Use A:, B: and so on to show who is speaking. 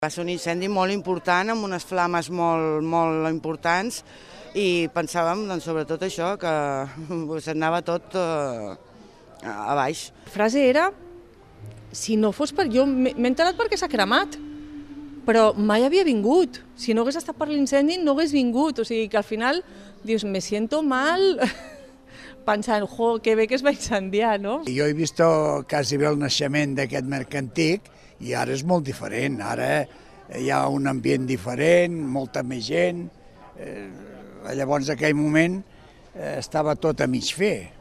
A: Va ser un incendi molt important, amb unes flames molt importants, i pensàvem, doncs, sobretot això, que s'anava tot a baix.
B: La frase era, si no fos per jo, m'he enterat perquè s'ha cremat, però mai havia vingut. Si no hagués estat per l'incendi, no hagués vingut. O sigui que al final dius, me siento mal, pensant, jo, que bé que es va incendiar, no?
C: Jo he vist quasi bé el naixement d'aquest mercantic i ara és molt diferent. Ara hi ha un ambient diferent, molta més gent. Llavors, en aquell moment, estava tot a mig fer.